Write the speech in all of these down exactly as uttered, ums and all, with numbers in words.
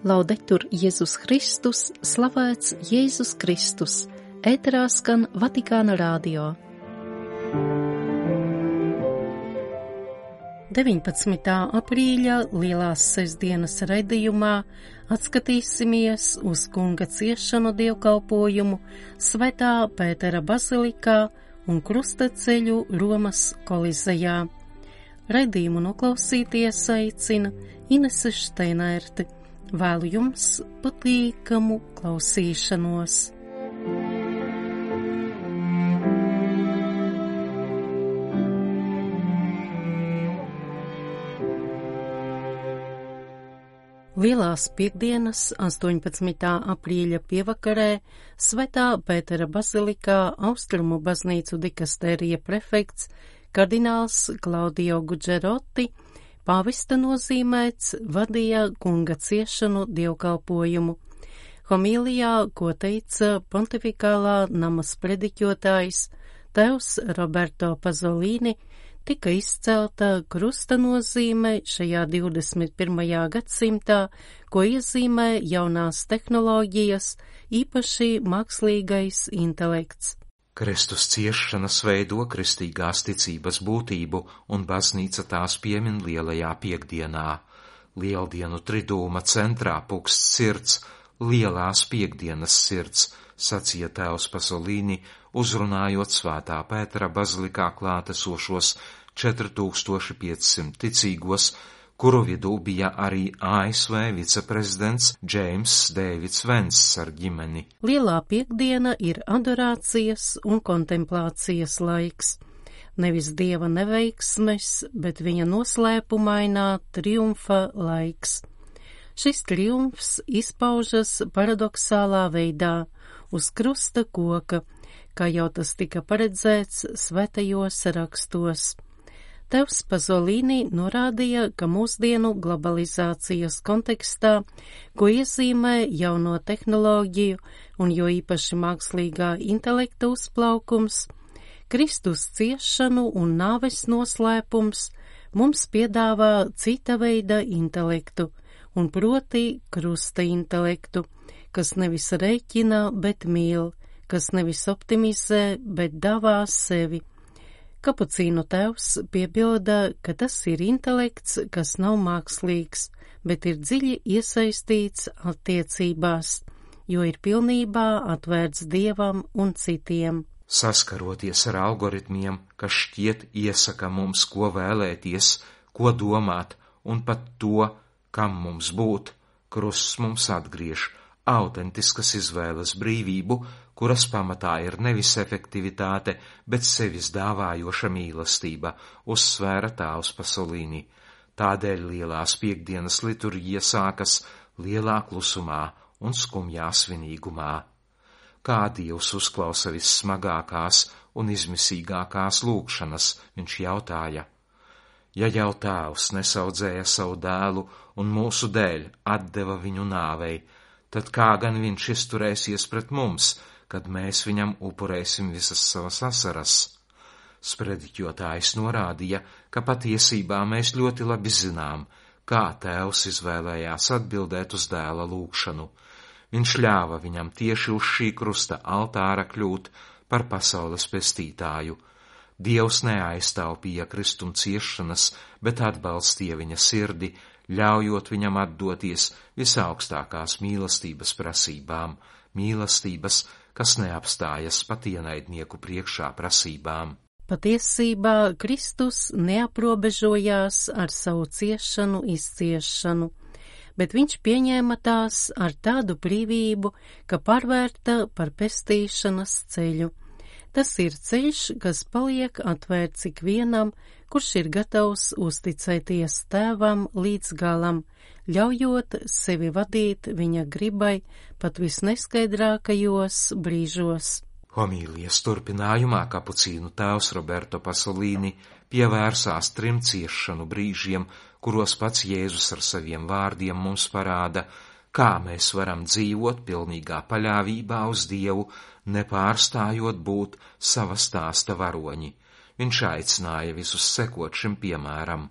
Laudetur Jēzus Kristus, slavēts Jēzus Kristus, ēterā skan Vatikāna radio. deviņpadsmitā aprīļa lielās sestdienas raidījumā atskatīsimies uz kunga ciešanu dievkalpojumu Svētā Pētera bazilikā un krustaceļu Romas kolizejā. Raidījumu noklausīties aicina Inese Šteinerte. Vēlu jums patīkamu klausīšanos. Lielās piekdienas astoņpadsmitā aprīļa pievakarē Svētā Pētera bazilikā Austrumu baznīcu dikastērija prefekts kardināls Klaudio Gudžeroti pāvesta nozīmēts vadīja kunga ciešanu dievkalpojumu. Homīlijā, ko teica pontifikālā nama sprediķotājs tēvs Roberto Pazolini, tika izcelta krusta nozīme šajā divdesmit pirmajā gadsimtā, ko iezīmē jaunās tehnoloģijas, īpaši mākslīgais intelekts. Kristus ciešanas veido kristīgās ticības būtību, un baznīca tās piemin lielajā piekdienā. Lieldienu tridūma centrā pukst sirds, lielās piekdienas sirds, sacīja tēvs Pasolīni, uzrunājot Svētā Pētera bazilikā klātesošos četri tūkstoši piecsimt ticīgos, kuru vidū bija arī A S V viceprezidents Džeims Dēvids Venss ar ģimeni. Lielā piekdiena ir adorācijas un kontemplācijas laiks. Nevis dieva neveiksmes, bet viņa noslēpumainā triumfa laiks. Šis triumfs izpaužas paradoxālā veidā uz krusta koka, kā jau tas tika paredzēts svētajos rakstos. Tevs Pazolīni norādīja, ka mūsdienu globalizācijas kontekstā, ko iezīmē jauno tehnoloģiju un jo īpaši mākslīgā intelekta uzplaukums, Kristus ciešanu un nāves noslēpums mums piedāvā cita veida intelektu, un proti krusta intelektu, kas nevis rēķina, bet mīl, kas nevis optimizē, bet davā sevi. Kapucīnu tēvs piebilda, ka tas ir intelekts, kas nav mākslīgs, bet ir dziļi iesaistīts attiecībās, jo ir pilnībā atvērts dievam un citiem. Saskaroties ar algoritmiem, kas šķiet iesaka mums, ko vēlēties, ko domāt, un pat to, kam mums būt, krusts mums atgriež autentiskas izvēles brīvību, kuras pamatā ir nevis efektivitāte, bet sevis dāvājoša mīlestība, uzsvēra tēvs Pasolīni. Tādēļ lielās piekdienas liturģija sākas lielā klusumā un skumjā svinīgumā. Kā Dievs uzklausa vissmagākās un izmisīgākās lūgšanas, viņš jautāja. Ja jau tēvs nesaudzēja savu dēlu un mūsu dēļ atdeva viņu nāvei, tad kā gan viņš izturēsies pret mums, kad mēs viņam upurēsim visas savas asaras? Sprediķotājs norādīja, ka patiesībā mēs ļoti labi zinām, kā tēvs izvēlējās atbildēt uz dēla lūgšanu. Viņš ļāva viņam tieši uz šī krusta altāra kļūt par pasaules pestītāju. Dievs neaiztaupīja Kristuma ciešanas, bet atbalstīja viņa sirdi, ļaujot viņam atdoties visaugstākās mīlestības prasībām, mīlestības, kas neapstājas pat ienaidnieku priekšā prasībām. Patiesībā Kristus neaprobežojās ar savu ciešanu izciešanu, bet viņš pieņēma tās ar tādu brīvību, ka pārvērta par pestīšanas ceļu. Tas ir ceļš, kas paliek atvērts ikvienam, kurš ir gatavs uzticēties tēvam līdz galam, ļaujot sevi vadīt viņa gribai pat visneskaidrākajos brīžos. Homīlijas turpinājumā kapucīnu tēvs Roberto Pasolīni pievērsās trim ciešanu brīžiem, kuros pats Jēzus ar saviem vārdiem mums parāda, kā mēs varam dzīvot pilnīgā paļāvībā uz Dievu, nepārstājot būt sava stāsta varoņi. Viņš aicināja visus sekot šim piemēram.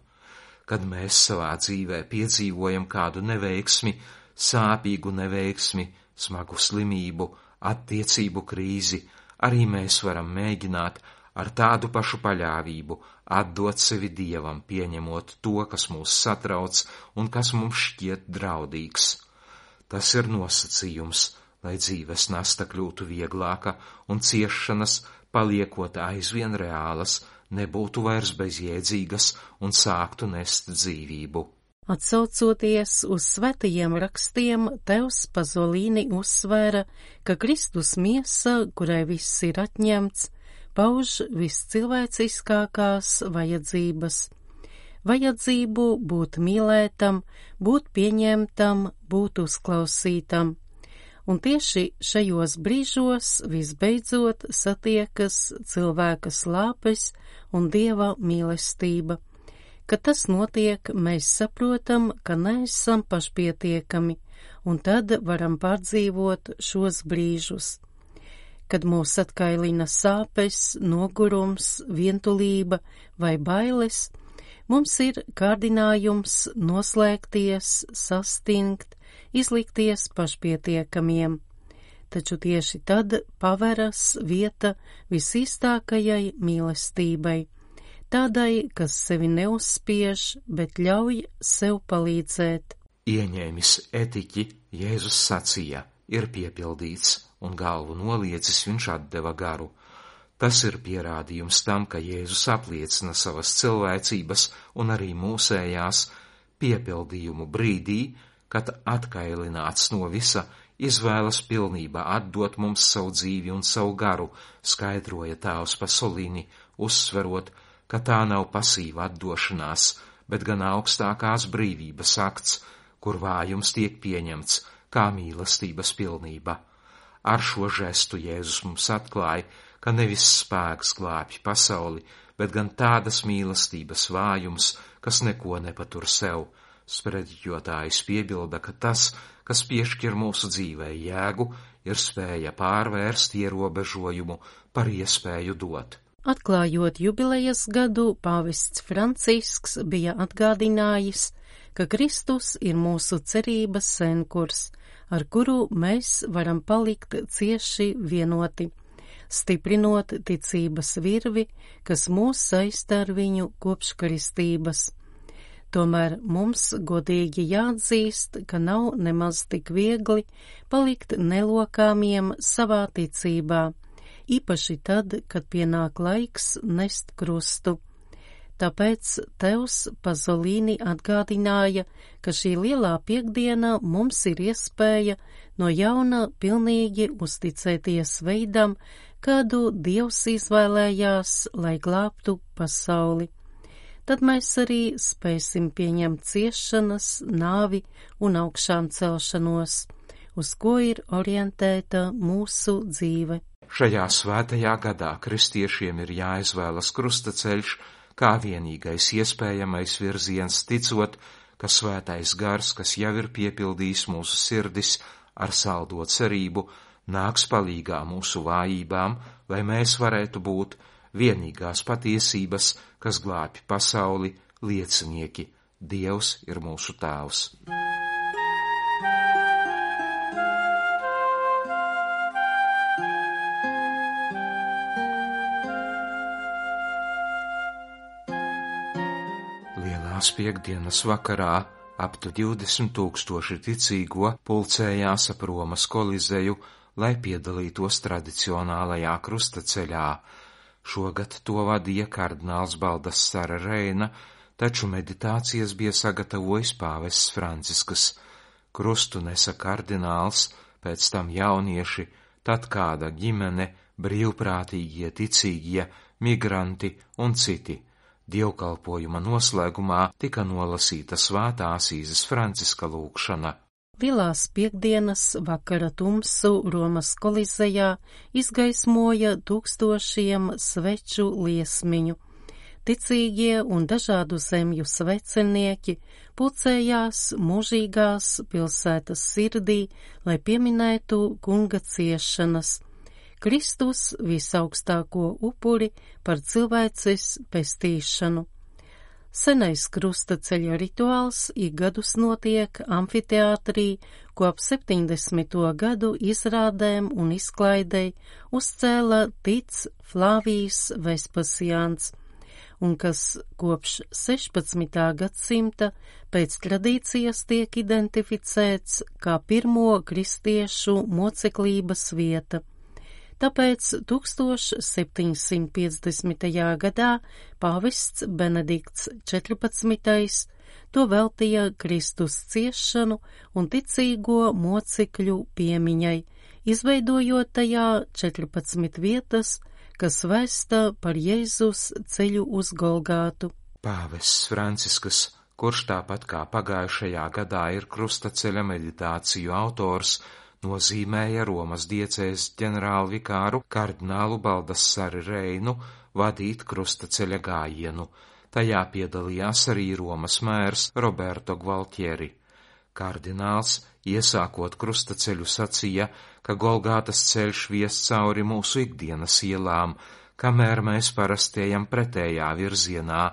Kad mēs savā dzīvē piedzīvojam kādu neveiksmi, sāpīgu neveiksmi, smagu slimību, attiecību krīzi, arī mēs varam mēģināt ar tādu pašu paļāvību atdot sevi Dievam, pieņemot to, kas mūs satrauc un kas mums šķiet draudīgs. Tas ir nosacījums, lai dzīves nasta kļūtu vieglāka un ciešanas, paliekot aizvien reālas, nebūtu vairs bezjēdzīgas un sāktu nest dzīvību. Atsaucoties uz svētajiem rakstiem, Tevs Pazolīni uzsvēra, ka Kristus miesa, kurai viss ir atņemts, pauž viscilvēciskākās vajadzības. Vajadzību būt mīlētam, būt pieņemtam, būt uzklausītam. Un tieši šajos brīžos visbeidzot satiekas cilvēka slāpes un Dieva mīlestība. Kad tas notiek, mēs saprotam, ka neesam pašpietiekami, un tad varam pārdzīvot šos brīžus. Kad mūs atkailina sāpes, nogurums, vientulība vai bailes, mums ir kārdinājums noslēgties, sastingt, izlikties pašpietiekamiem. Taču tieši tad paveras vieta visīstākajai mīlestībai, tādai, kas sevi neuzspiež, bet ļauj sev palīdzēt. Ieņēmis etiķi, Jēzus sacīja, ir piepildīts, un galvu noliecis viņš atdeva garu. Tas ir pierādījums tam, ka Jēzus apliecina savas cilvēcības un arī mūsējās piepildījumu brīdī, kad atkailināts no visa, izvēlas pilnībā atdot mums savu dzīvi un savu garu, skaidroja Tēvs Pasolini, uzsverot, ka tā nav pasīva atdošanās, bet gan augstākās brīvības akts, kur vājums tiek pieņemts kā mīlestības pilnība. Ar šo žestu Jēzus mums atklāja, ka nevis spēks glābj pasauli, bet gan tādas mīlestības vājums, kas neko nepatur sev. Sprediķotājs piebilda, ka tas, kas piešķir mūsu dzīvei jēgu, ir spēja pārvērst ierobežojumu par iespēju dot. Atklājot jubilejas gadu, pāvests Francisks bija atgādinājis, ka Kristus ir mūsu cerības senkurs, ar kuru mēs varam palikt cieši vienoti, stiprinot ticības virvi, kas mūs saista ar viņu kopš kristības. Tomēr mums godīgi jāatzīst, ka nav nemaz tik viegli palikt nelokāmiem savā ticībā, īpaši tad, kad pienāk laiks nest krustu. Tāpēc Tevs Pazolīni atgādināja, ka šī lielā piekdiena mums ir iespēja no jauna pilnīgi uzticēties veidam, kādu Dievs izvēlējās, lai glābtu pasauli. Tad mēs arī spēsim pieņemt ciešanas, nāvi un augšām celšanos, uz ko ir orientēta mūsu dzīve. Šajā svētajā gadā kristiešiem ir jāizvēlas krustaceļš kā vienīgais iespējamais virziens, ticot, ka svētais gars, kas jau ir piepildījis mūsu sirdis ar saldo cerību, nāks palīgā mūsu vājībām, lai mēs varētu būt vienīgās patiesības, kas glābj pasauli, liecinieki. Dievs ir mūsu Tēvs. Lielās piekdienas vakarā aptu divdesmit tūkstoši ticīgo pulcējās ap Romas Kolizeju, lai piedalītos tradicionālajā krustaceļā. Šogad to vadīja kardināls Baldassare Reina, taču meditācijas bija sagatavojis pāvests Francisks. Krustu nesa kardināls, pēc tam jaunieši, tad kāda ģimene, brīvprātīgie, ticīgie, migranti un citi. Dievkalpojuma noslēgumā tika nolasīta svētā Asīzes Franciska lūgšana. Lielās piekdienas vakara tumsu Romas Kolizejā izgaismoja tūkstošiem sveču liesmiņu. Ticīgie un dažādu zemju svecenieki pulcējās mūžīgās pilsētas sirdī, lai pieminētu kunga ciešanas, Kristus visaugstāko upuri par cilvēces pestīšanu. Senais krustaceļa rituāls ik gadus notiek amfiteātrī, ko ap septiņdesmito gadu izrādēm un izklaidei uzcēla Tic Flavijs Vespasiāns, un kas kopš sešpadsmitā gadsimta pēc tradīcijas tiek identificēts kā pirmo kristiešu moceklības vieta. Tāpēc septiņsimt piecdesmitajā gadā pāvests Benedikts četrpadsmitais to veltīja Kristus ciešanu un ticīgo mocekļu piemiņai, izveidojot tajā četrpadsmit vietas, kas vēsta par Jēzus ceļu uz Golgātu. Pāvests Francisks, kurš tāpat kā pagājušajā gadā ir krustaceļa meditāciju autors, nozīmēja Romas diecēs ģenerālvikāru kardinālu Baldassari Reinu vadīt krustaceļa gājienu. Tajā piedalījās arī Romas mērs Roberto Gvaltieri. Kardināls, iesākot krustaceļu, sacīja, ka Golgātas ceļš vies cauri mūsu ikdienas ielām, kamēr mēs parasti ejam pretējā virzienā,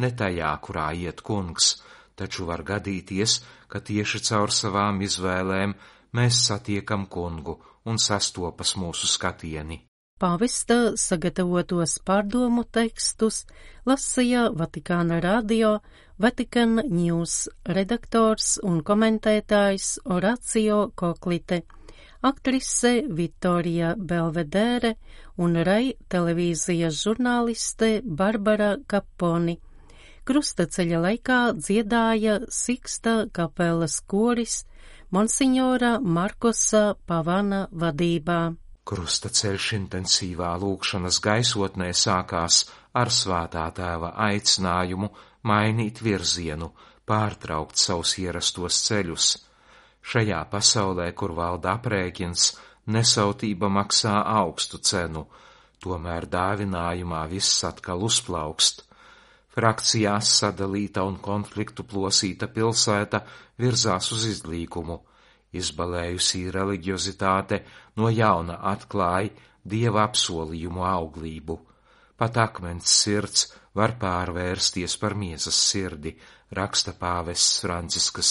ne tajā, kurā iet kungs, taču var gadīties, ka tieši caur savām izvēlēm mēs satiekam kungu un sastopas mūsu skatieni. Pāvesta sagatavotos pārdomu tekstus lasīja Vatikāna radio, Vatikan News redaktors un komentētājs Oracio Koklite, aktrise Vittorija Belvedere un Rai televīzijas žurnāliste Barbara Kaponi. Krustaceļa laikā dziedāja Siksta kapelas koris Monsignora Markosa Pavana vadībā. Krustaceļš intensīvā lūgšanas gaisotnē sākās ar Svētā Tēva aicinājumu mainīt virzienu, pārtraukt savus ierastos ceļus. Šajā pasaulē, kur valda aprēķins, nesautība maksā augstu cenu, tomēr dāvinājumā viss atkal uzplaukst. Frakcijās sadalīta un konfliktu plosīta pilsēta virzās uz izlīkumu. Izbalējusī reliģiozitāte no jauna atklāja Dieva apsolījumu auglību. Pat akmens sirds var pārvērsties par miesas sirdi, raksta pāvests Francisks.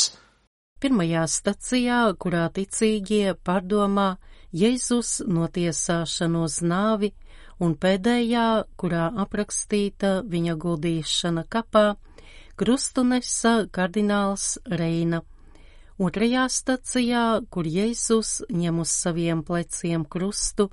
Pirmajā stacijā, kurā ticīgie pārdomā Jēzus notiesāšanu uz nāvi, un pēdējā, kurā aprakstīta viņa guldīšana kapā, krustu nesa kardināls Reina. Otrajā stacijā, kur Jēzus ņem uz saviem pleciem krustu,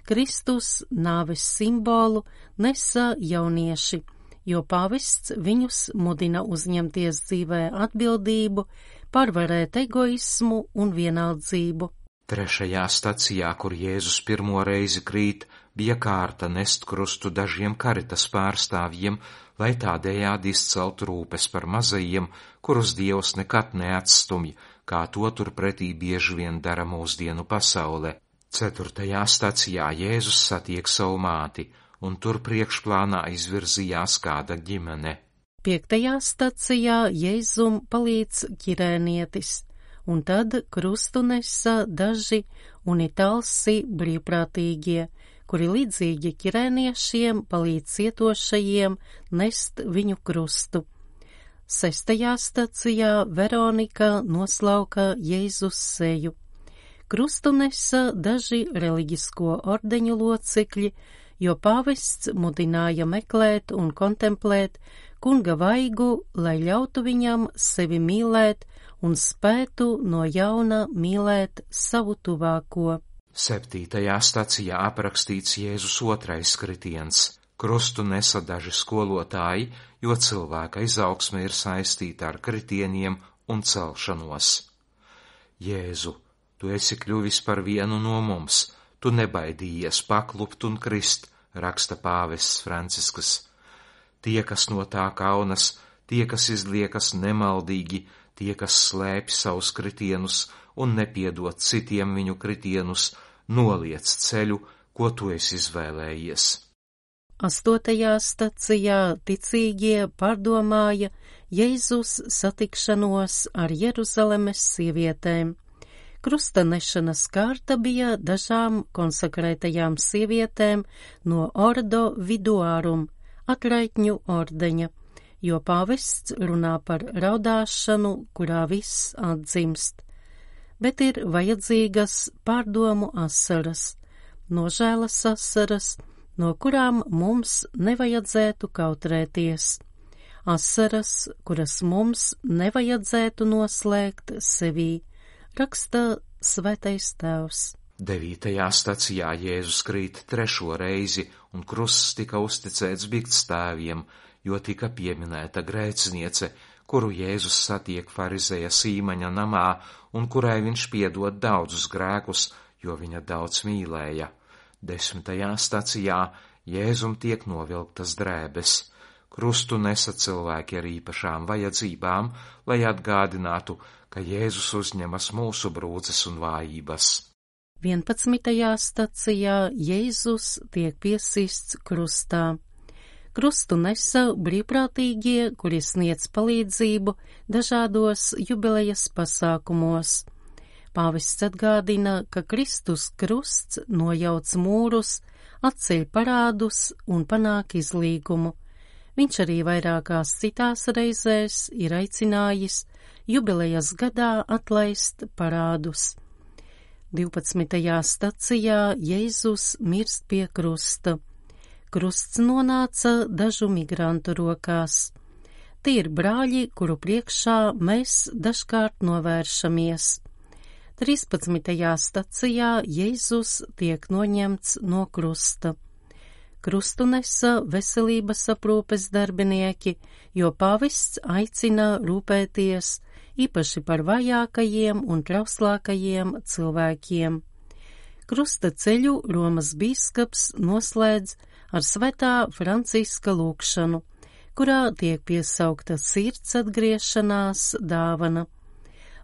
Kristus nāves simbolu nesa jaunieši, jo pāvests viņus mudina uzņemties dzīvē atbildību, pārvarēt egoismu un vienaldzību. Trešajā stacijā, kur Jēzus pirmo reizi krīt, bija kārta nest krustu dažiem karitas pārstāvjiem, lai tādējādi izceltu rūpes par mazajiem, kurus Dievs nekad neatstumj, kā to turpretī bieži vien dara mūsdienu pasaule. Ceturtajā stacijā Jēzus satiek savu māti, un tur priekšplānā izvirzījās kāda ģimene. Piektajā stacijā Jēzum palīdz ķirēnietis, un tad krustu nesa daži unitālsi brīvprātīgie, kuri līdzīgi ķirēniešiem palīdz cietošajiem nest viņu krustu. Sestajā stacijā Veronika noslauka Jēzus seju. Krustu nesa daži reliģisko ordeņu locekļi, jo pāvests mudināja meklēt un kontemplēt kunga vaigu, lai ļautu viņam sevi mīlēt un spētu no jauna mīlēt savu tuvāko. Septītajā stacijā aprakstīts Jēzus otrais kritiens. Krustu nesa daži skolotāji, jo cilvēka izaugsme ir saistīta ar kritieniem un celšanos. Jēzu, tu esi kļuvis par vienu no mums, tu nebaidījies paklupt un krist, raksta pāvests Francisks. Tie, kas no tā kaunas, tie, kas izliekas nemaldīgi, tie, kas slēpj savus kritienus un nepiedod citiem viņu kritienus, noliec ceļu, ko tu esi izvēlējies. Astotajā stacijā ticīgie pārdomāja Jēzus satikšanos ar Jeruzalemes sievietēm. Krusta nešanas kārta bija dažām konsekrētajām sievietēm no Ordo Viduārum, atraitņu ordeņa, jo pāvests runā par raudāšanu, kurā viss atdzimst, bet ir vajadzīgas pārdomu asaras, nožēlas asaras, no kurām mums nevajadzētu kautrēties, asaras, kuras mums nevajadzētu noslēgt sevī, raksta Svētais Tēvs. Devītajā stacijā Jēzus krīt trešo reizi, un krusts tika uzticēts biktstāviem, jo tika pieminēta grēciniece, kuru Jēzus satiek farizeja Sīmaņa namā, un kurai viņš piedod daudzus grēkus, jo viņa daudz mīlēja. Desmitajā stacijā Jēzum tiek novilktas drēbes. Krustu nesa cilvēki ar īpašām vajadzībām, lai atgādinātu, ka Jēzus uzņemas mūsu brūces un vājības. vienpadsmitajā stacijā Jēzus tiek piesists krustā. Krustu nesa brīvprātīgie, kuri sniedz palīdzību dažādos jubilejas pasākumos. Pāvests atgādina, ka Kristus krusts nojauc mūrus, atceļ parādus un panāk izlīgumu. Viņš arī vairākās citās reizēs ir aicinājis jubilejas gadā atlaist parādus. divpadsmitajā stacijā Jēzus mirst pie krusta. Krusts nonāca dažu migrantu rokās. Tie ir brāļi, kuru priekšā mēs dažkārt novēršamies. trīspadsmitajā stacijā Jēzus tiek noņemts no krusta. Krustu nesa veselības aprūpes darbinieki, jo pāvests aicina rūpēties īpaši par vājākajiem un trauslākajiem cilvēkiem. Krusta ceļu Romas bīskaps noslēdz ar Svētā Franciska lūgšanu, kurā tiek piesaukta sirds atgriešanās dāvana.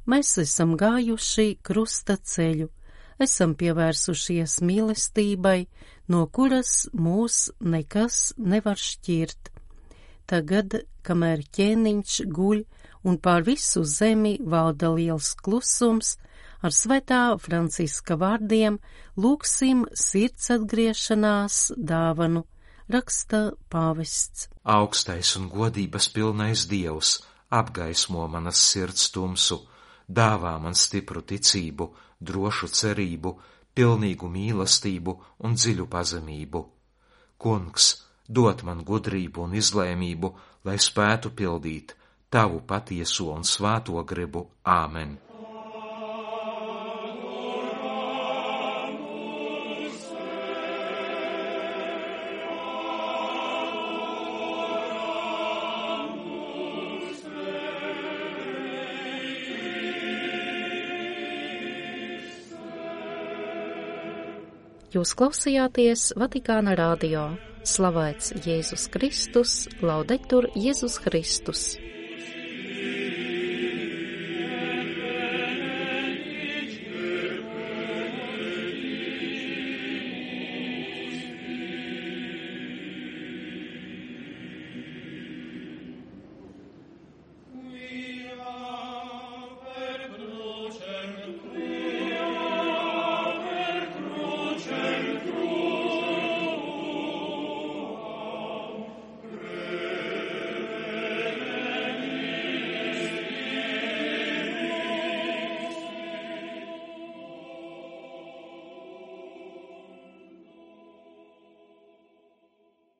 Mēs esam gājuši krusta ceļu, esam pievērsušies mīlestībai, no kuras mūs nekas nevar šķirt. Tagad, kamēr ķēniņš guļ un pār visu zemi valda liels klusums, ar Svētā Franciska vārdiem lūgsim sirds atgriešanās dāvanu, raksta pāvests. Augstais un godības pilnais Dievs apgaismo manas sirds tumsu, dāvā man stipru ticību, drošu cerību, pilnīgu mīlestību un dziļu pazemību. Kungs, dod man gudrību un izlēmību, lai spētu pildīt tavu patieso un svāto gribu. Āmen. Jūs klausījāties Vatikāna radio. Slavēts Jēzus Kristus, laudetur Jēzus Kristus.